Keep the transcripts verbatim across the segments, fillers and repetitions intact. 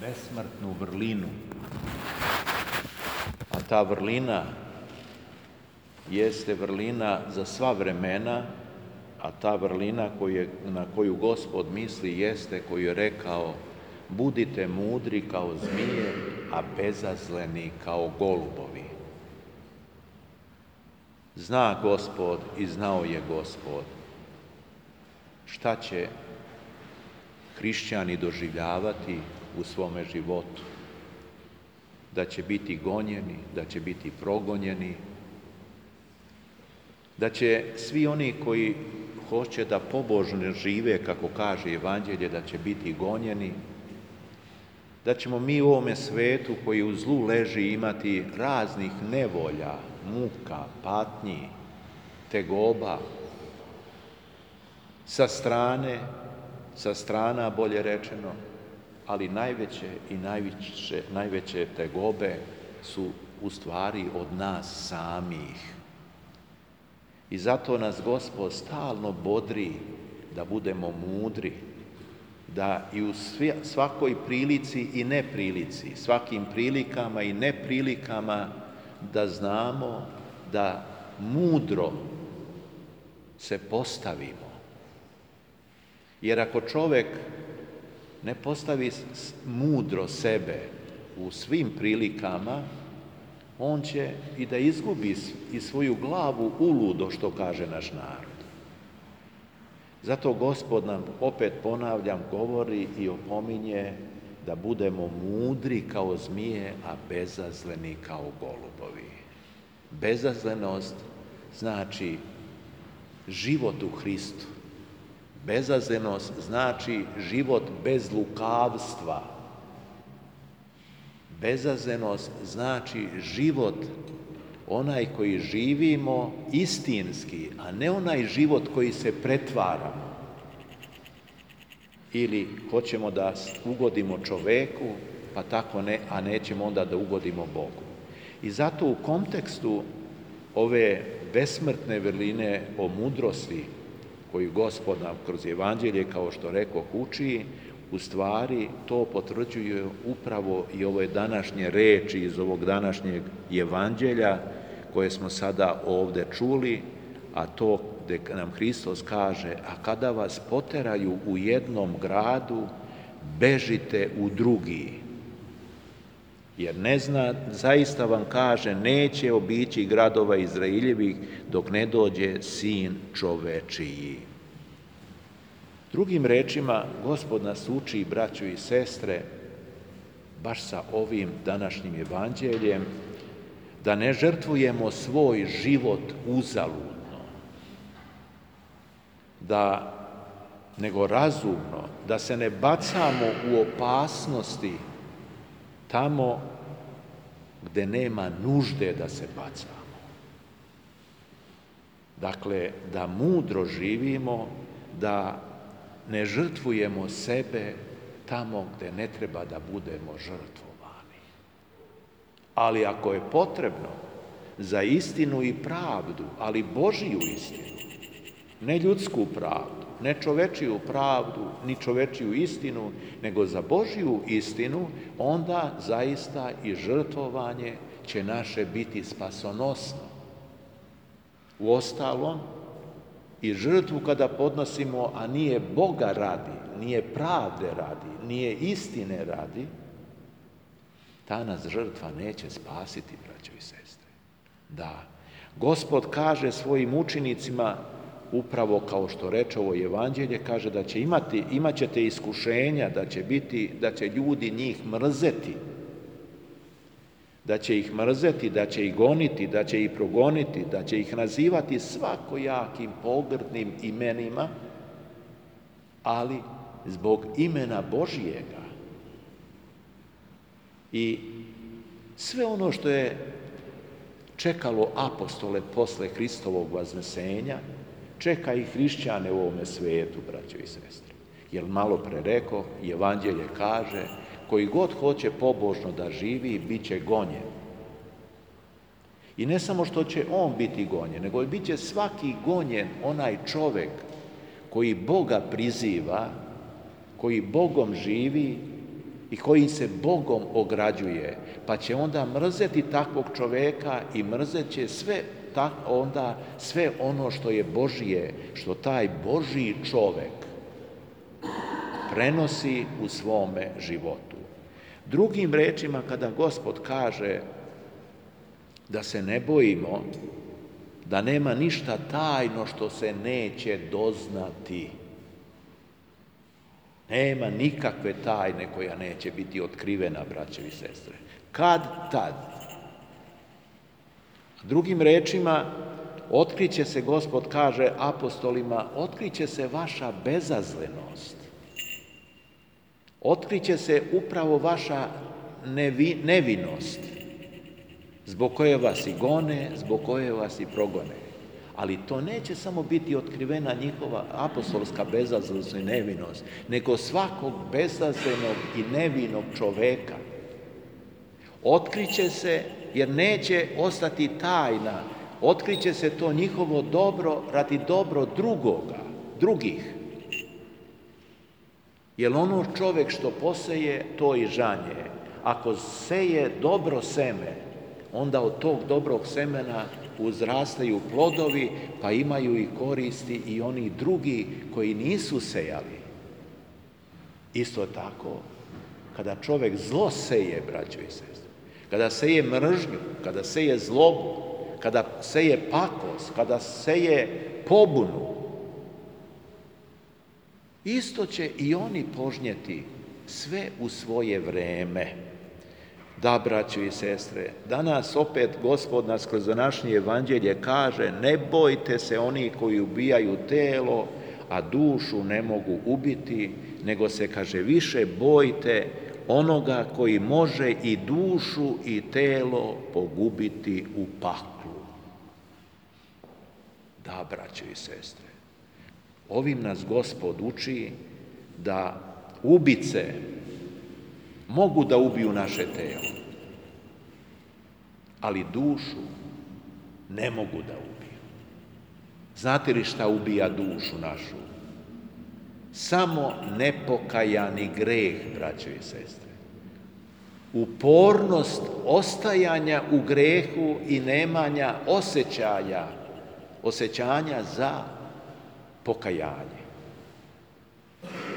besmrtnu vrlinu. A ta vrlina jeste vrlina za sva vremena, a ta vrlina koju, na koju Gospod misli jeste koju je rekao: budite mudri kao zmije, a bezazleni kao golubovi. Zna Gospod i znao je Gospod šta će hrišćani doživljavati u svome životu. Da će biti gonjeni, da će biti progonjeni, da će svi oni koji hoće da pobožno žive, kako kaže Evanđelje, da će biti gonjeni, da ćemo mi u ovome svetu koji u zlu leži imati raznih nevolja, muka, patnji, tegoba, sa strane, sa strana bolje rečeno, ali najveće i najveće, najveće tegobe su u stvari od nas samih. I zato nas Gospod stalno bodri da budemo mudri, da i u svakoj prilici i neprilici, svakim prilikama i neprilikama, da znamo da mudro se postavimo. Jer ako čovjek ne postavi mudro sebe u svim prilikama, on će i da izgubi i svoju glavu uludo, što kaže naš narod. Zato Gospod nam, opet ponavljam, govori i opominje da budemo mudri kao zmije, a bezazleni kao golubovi. Bezazlenost znači život u Hristu. Bezazlenost znači život bez lukavstva. Bezazlenost znači život onaj koji živimo istinski, a ne onaj život koji se pretvaramo. Ili hoćemo da ugodimo čoveku, pa tako ne, a nećemo onda da ugodimo Bogu. I zato u kontekstu ove besmrtne vrline o mudrosti koju Gospod nam kroz Evanđelje, kao što rekoh, uči, u stvari to potvrđuje upravo i ove današnje reči iz ovog današnjeg Evanđelja koje smo sada ovdje čuli, a to gdje nam Hristos kaže: a kada vas poteraju u jednom gradu, bežite u drugi. Jer ne zna, zaista vam kaže, neće obići gradova Izraeljevih dok ne dođe Sin čovečiji. Drugim rečima, Gospod nas uči, braćo i sestre, baš sa ovim današnjim Evanđeljem, da ne žrtvujemo svoj život uzaludno, da, nego razumno, da se ne bacamo u opasnosti tamo gde nema nužde da se bacamo. Dakle, da mudro živimo, da ne žrtvujemo sebe tamo gde ne treba da budemo žrtvovani. Ali ako je potrebno za istinu i pravdu, ali Božiju istinu, ne ljudsku pravdu, ne čovečiju pravdu, ni čovečiju istinu, nego za Božiju istinu, onda zaista i žrtvovanje će naše biti spasonosno. Uostalom, i žrtvu kada podnosimo, a nije Boga radi, nije pravde radi, nije istine radi, ta nas žrtva neće spasiti, braćo i sestre. Da, Gospod kaže svojim učenicima, upravo kao što reče ovo Evanđelje, kaže da će imati, imat ćete iskušenja, da će biti, da će ljudi njih mrzeti, da će ih mrzeti, da će ih goniti, da će ih progoniti, da će ih nazivati svakojakim pogrdnim imenima, ali zbog imena Božijega. I sve ono što je čekalo apostole posle Hristovog vaznesenja, čeka i hrišćane u ovome svijetu, braćo i sestre. Jer malo pre rekao, Evanđelje kaže, koji god hoće pobožno da živi, bit će gonjen. I ne samo što će on biti gonjen, nego bit će svaki gonjen onaj čovek koji Boga priziva, koji Bogom živi i koji se Bogom ograđuje, pa će onda mrzeti takvog čoveka i mrzet će sve, tak, onda sve ono što je Božije, što taj Božji čovek prenosi u svome životu. Drugim rečima, kada Gospod kaže da se ne bojimo, da nema ništa tajno što se neće doznati. Nema nikakve tajne koja neće biti otkrivena, braćo i sestre. Kad tad? Drugim rečima, otkriće se, Gospod kaže apostolima, otkriće se vaša bezazlenost. Otkriće se upravo vaša nevi, nevinost, zbog koje vas i gone, zbog koje vas i progone. Ali to neće samo biti otkrivena njihova apostolska bezazlenost i nevinost, nego svakog bezazlenog i nevinog čoveka. Otkriće se, jer neće ostati tajna, otkriće se to njihovo dobro radi dobro drugoga, drugih. Jer ono čovjek što poseje, to i žanje. Ako seje dobro seme, onda od tog dobrog semena uzrastaju plodovi, pa imaju i koristi i oni drugi koji nisu sejali. Isto tako, kada čovjek zlo seje, braćo i sestre, kada seje mržnju, kada seje zlobu, kada seje pakost, kada seje pobunu, isto će i oni požnjeti sve u svoje vreme. Da, braćo i sestre, danas opet Gospod nas kroz današnje evanđelje kaže: ne bojte se oni koji ubijaju telo, a dušu ne mogu ubiti, nego se, kaže, više bojte onoga koji može i dušu i telo pogubiti u paklu. Da, braćo i sestre, ovim nas Gospod uči da ubice mogu da ubiju naše telo, ali dušu ne mogu da ubiju. Znate li šta ubija dušu našu? Samo nepokajani greh, braćo i sestre. Upornost ostajanja u grehu i nemanja osjećaja, osjećanja za pokajanje.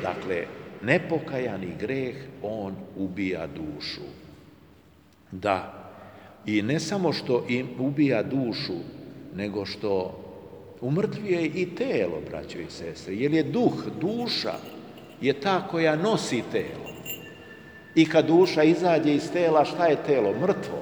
Dakle, nepokajani greh, on ubija dušu. Da, i ne samo što im ubija dušu, nego što umrtvuje i telo, braćo i sestre, jer je duh, duša je ta koja nosi telo. I kad duša izađe iz tela, šta je telo? Mrtvo.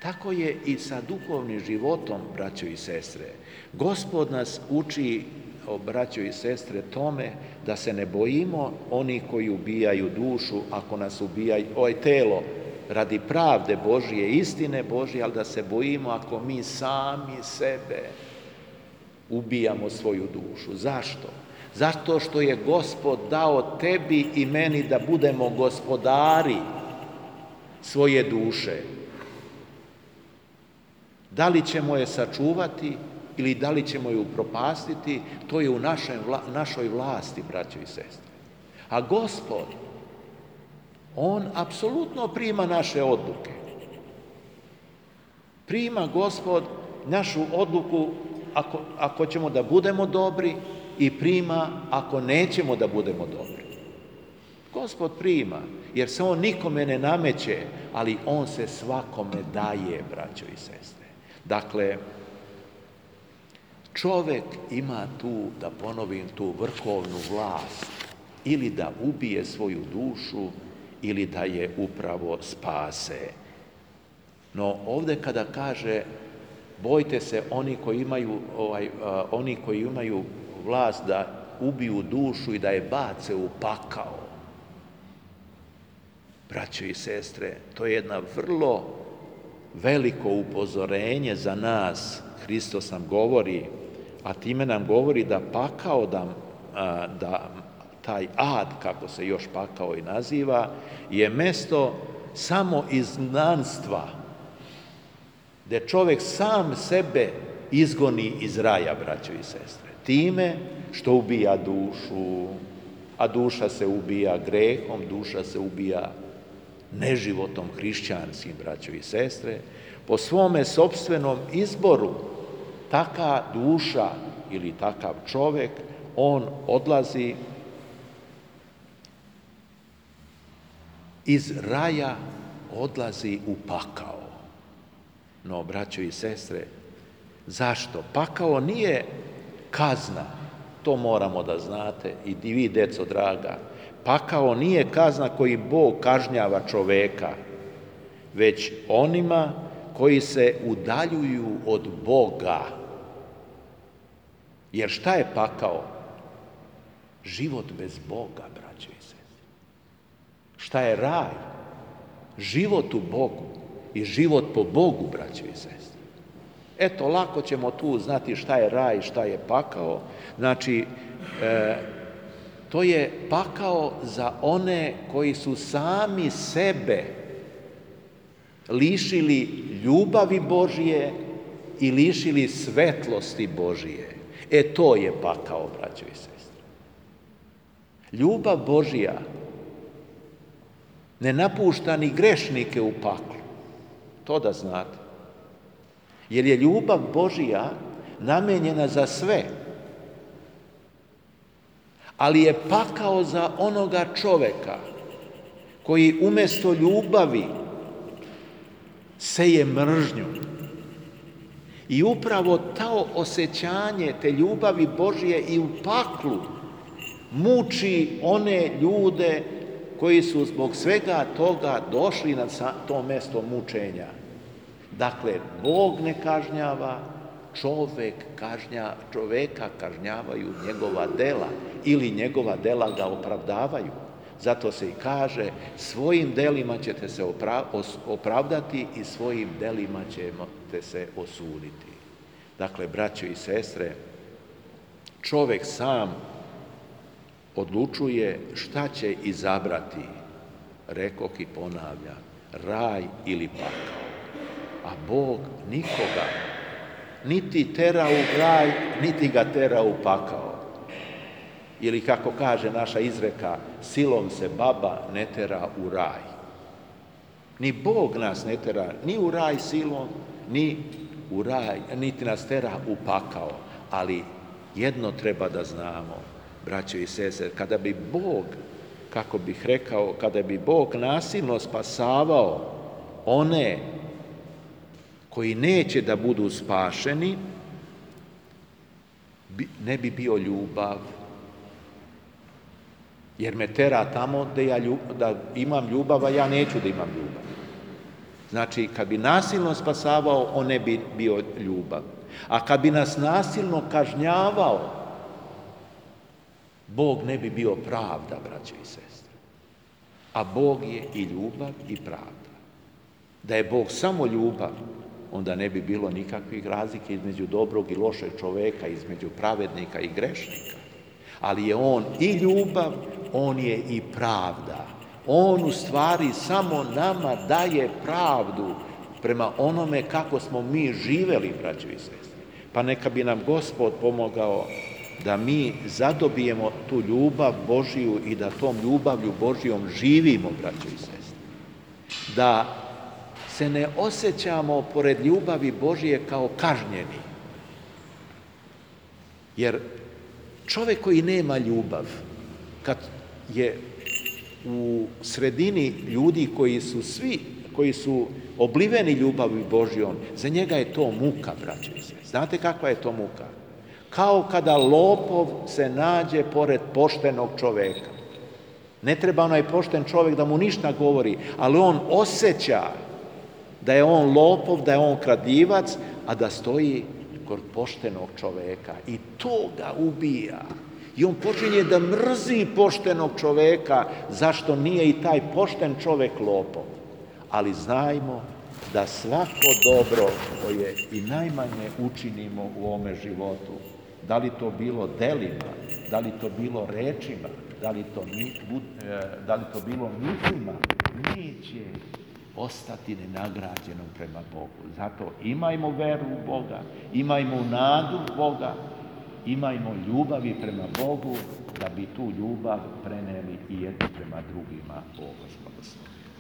Tako je i sa duhovnim životom, braćo i sestre. Gospod nas uči, o braćo i sestre, tome da se ne bojimo oni koji ubijaju dušu, ako nas ubijaju ovaj telo radi pravde Božije, istine Božije, ali da se bojimo ako mi sami sebe ubijamo svoju dušu. Zašto? Zato što je Gospod dao tebi i meni da budemo gospodari svoje duše. Da li ćemo je sačuvati ili da li ćemo je upropastiti, to je u našoj, našoj vlasti, braćo i sestre. A Gospod, on apsolutno prima naše odluke. Prima Gospod našu odluku ako, ako ćemo da budemo dobri i prima ako nećemo da budemo dobri. Gospod prima, jer se on nikome ne nameće, ali on se svakome daje, braćo i sestre. Dakle, čovjek ima tu, da ponovim, tu vrhovnu vlast, ili da ubije svoju dušu, ili da je upravo spase. No ovdje kada kaže bojte se oni koji imaju, ovaj, a, oni koji imaju vlast da ubiju dušu i da je bace u pakao. Braćo i sestre, to je jedna vrlo veliko upozorenje za nas. Hristos nam govori, a time nam govori da pakao, da, a, da taj ad, kako se još pakao i naziva, je mesto samo izgnanstva, gdje čovjek sam sebe izgoni iz raja, braćo i sestre, time što ubija dušu. A duša se ubija grehom, duša se ubija neživotom hrišćanskim, braćo i sestre. Po svome sopstvenom izboru taka duša ili takav čovjek, on odlazi iz raja, odlazi u pakao. No, braćo i sestre, zašto? Pakao nije kazna, to moramo da znate i vi, deco draga. Pakao nije kazna koji Bog kažnjava čoveka, već onima koji se udaljuju od Boga. Jer šta je pakao? Život bez Boga, braćo i sestre. Šta je raj? Život u Bogu i život po Bogu, braćo i sestre. Eto, lako ćemo tu znati šta je raj, šta je pakao. Znači, e, to je pakao za one koji su sami sebe lišili ljubavi Božije i lišili svetlosti Božije. E, to je pakao, braćo i sestre. Ljubav Božija ne napušta ni grešnike u paklu. To da znate. Jer je ljubav Božija namenjena za sve. Ali je pakao za onoga čoveka koji umjesto ljubavi seje mržnju. I upravo to osjećanje te ljubavi Božije i u paklu muči one ljude koji su zbog svega toga došli na to mjesto mučenja. Dakle, Bog ne kažnjava, čovek kažnja, čoveka kažnjavaju njegova dela ili njegova dela ga opravdavaju. Zato se i kaže, svojim delima ćete se opravdati i svojim delima ćete se osuditi. Dakle, braćo i sestre, čovek sam odlučuje šta će izabrati, rekoh i ponavljam, raj ili pakao. A Bog nikoga niti tera u raj, niti ga tera u pakao. Ili kako kaže naša izreka, silom se baba ne tera u raj. Ni Bog nas ne tera ni u raj silom, ni u raj, niti nas tera u pakao. Ali jedno treba da znamo, braćo i sestre, kada bi Bog, kako bih rekao, kada bi Bog nasilno spasavao one koji neće da budu spašeni, ne bi bio ljubav. Jer me tera tamo da, ja ljub, da imam ljubav, a ja neću da imam ljubav. Znači, kad bi nasilno spasavao, on ne bi bio ljubav. A kad bi nas nasilno kažnjavao, Bog ne bi bio pravda, braćo i sestre. A Bog je i ljubav i pravda. Da je Bog samo ljubav, onda ne bi bilo nikakvih razlike između dobrog i lošeg čoveka, između pravednika i grešnika. Ali je on i ljubav, on je i pravda. On u stvari samo nama daje pravdu prema onome kako smo mi živeli, braćo i sestre. Pa neka bi nam Gospod pomogao da mi zadobijemo tu ljubav Božiju i da tom ljubavlju Božijom živimo, braćo i sestre. Da se ne osjećamo pored ljubavi Božije kao kažnjeni. Jer čovjek koji nema ljubav, kad je u sredini ljudi koji su svi, koji su obliveni ljubavi Božijom, za njega je to muka, braćo i sestre. Znate kakva je to muka? Kao kada lopov se nađe pored poštenog čoveka. Ne treba onaj pošten čovjek da mu ništa govori, ali on osjeća da je on lopov, da je on kradivac, a da stoji kod poštenog čoveka. I to ga ubija. I on počinje da mrzi poštenog čoveka, zašto nije i taj pošten čovek lopov. Ali znajmo da svako dobro koje i najmanje učinimo u ovome životu, da li to bilo delima, da li to bilo rečima, da li to, da li to bilo mislima, neće ostati nenagrađenom prema Bogu. Zato imajmo veru u Boga, imajmo nadu u Boga imajmo ljubavi prema Bogu, da bi tu ljubav preneli i jedni prema drugima. O Gospod.